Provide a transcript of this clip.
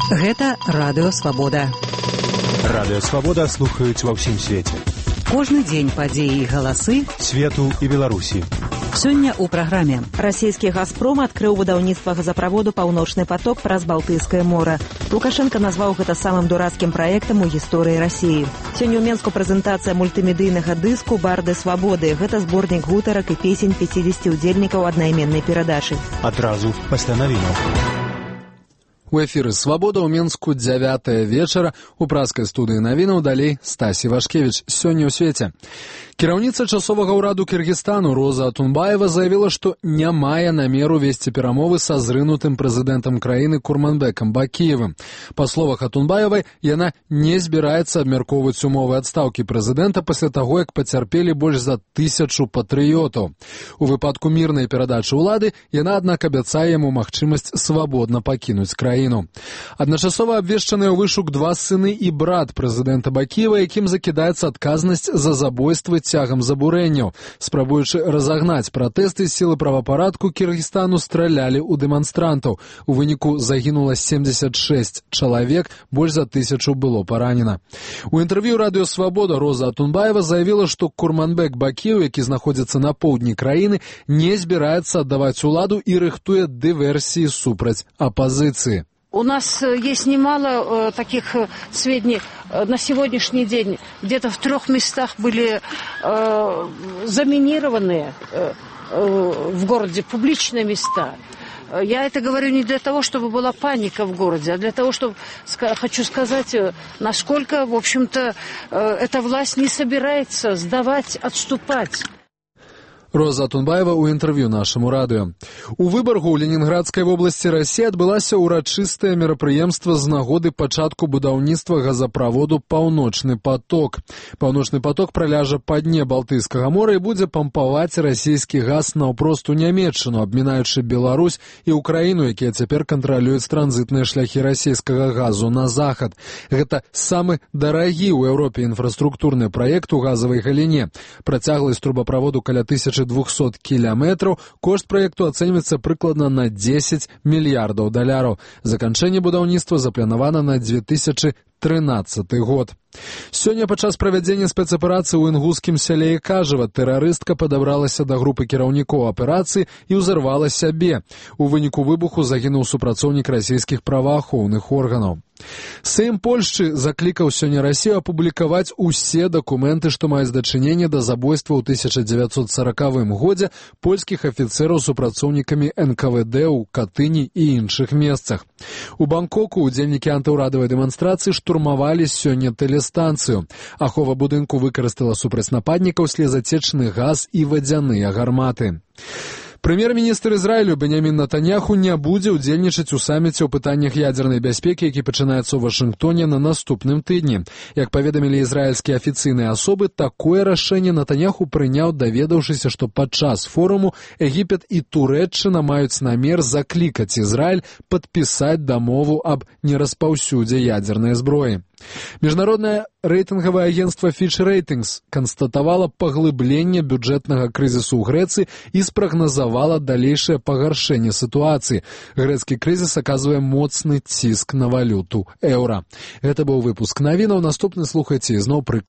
Гэта Радыё Свабода. Радыё Свабода слухаюць ва ўсім свеце. Кожны дзень падзеі і галасы свету і Беларусі. Сёння ў праграме. Расійскі «Газпром» адкрыў будаўніцтва газаправоду «Паўночны поток» праз Балтыйскае мора. Лукашенко назваў гэта самым дурацкім праектам у гісторыі Расіі. Сёння ў Менску прэзентацыя мультымедыйнага дыску «Барды свабоды». Гэта зборнік гутарак і песень 50 удзельнікаў аднайменнай перадачы. Адразу пасля навінаў. У эфіры «Свабода» ў Менску 9 вечара. У праскай студыі навінаў далей Стасі Вашкевіч. Сёння ў свеце. Кіраўніца часовага ўраду Кыргызстану Роза Атунбаева заявіла, што не мае намеру весці перамовы са зрынутым прэзідэнтам краіны Курманбекам Бакіевым. Па словах Атунбаевай, яна не збіраецца абмяркоўваць умовы адстаўкі прэзідэнта пасля таго, як пацярпелі больш за 1000 патрыётаў. У выпадку мірнай перадачы ўлады яна, аднак, абяцае яму магчымасць свабодна пакінуць краіну. Адначасова абвешчаныя ў вышук 2 сыны і брат прэзідэнта Бакіева, якім закідаецца адказнасць за забойствы цягам забурэнняў. Спрабуючы разагнаць пратэсты, сілы правапарадку Кіргізстану стралялі ў дэманстрантаў. У выніку загінула 76 чалавек, больш за 1000 было паранена. У інтэрв'ю Радыё Свабода Роза Атунбаева заявіла, што Курманбек Бакіев, які знаходзіцца на поўдні краіны, не збіраецца аддаваць уладу і рыхтуе дыверсіі супраць апазіцыі. У нас есть немало таких сведений. На сегодняшний день где-то в 3 местах были заминированные в городе публичные места. Я это говорю не для того, чтобы была паника в городе, а для того, чтобы хочу сказать, насколько, в общем-то, эта власть не собирается сдавать, отступать. Роза Атунбаева ў інтэрв'ю нашаму радыё. У Выбаргу ў Ленінградскай вобласці Расіі адбылася ўрачыстае мерапрыемства з нагоды пачатку будаўніцтва газаправоду «Паўночны поток». «Паўночны поток» праляжа па дне Балтыйскага мора і будзе пампаваць расійскі газ наўпрост у Нямецчыну, абмінаючы Беларусь і Украіну, якія цяпер кантралююць транзітныя шляхі расійскага газу на захад. Гэта самы дарагі ў Еўропе інфраструктурны праект у газавай галіне. Працягласць трубаправоду каля 1200 кілометраў, кошт праекту ацэньваецца прыкладна на $10 мільярдаў. Заканчэнне будаўніцтва запланавана на 2013 год. Сёння падчас правядзення спецаперацыі ў інгускім сяле Кажава тэрарыстка падабралася да групы кіраўнікоў аперацыі і ўзарвала сябе. У выніку выбуху загінуў супрацоўнік расійскіх праваахоўных органаў. Сейм Польшчы заклікаў сёння Расію апублікаваць усе дакументы, што маюць дачыненне да забойства ў 1940 годзе польскіх афіцэраў супрацоўнікамі НКВД ў Катыні і іншых месцах. У Бангкоку удзельнікі антыўрадавай дэманстрацыі штурмавалі сёння тэлестанцыю. Ахова будынку выкарыстала супраць нападнікаў слезацечны газ і вадзяныя гарматы. Прэм'ер-міністр Ізраілю Бенямін Натаньяху не будзе ўдзельнічаць у саміце ў пытаннях ядзернай бяспекі, які пачынаецца ў Вашынгтоне на наступным тыдні. Як паведамілі ізраільскія афіцыйныя асобы, такое рашэнне Натаньяху прыняў, даведаўшыся, што падчас форуму Егіпет і Турэччына маюць намер заклікаць Ізраіль падпісаць дамову аб нераспаўсюдзе ядзернай зброі. Міжнароднае рэйтынгавае агенцтва Fitch Ratings канстатавала паглыбленне бюджэтнага крызісу ў Грэцыі і спрагназавала далейшае пагаршэнне сітуацыі. Грэцкі крызіс аказвае моцны ціск на валюту еўра. Гэта быў выпуск навінаў. Наступны слухайце ізноў пры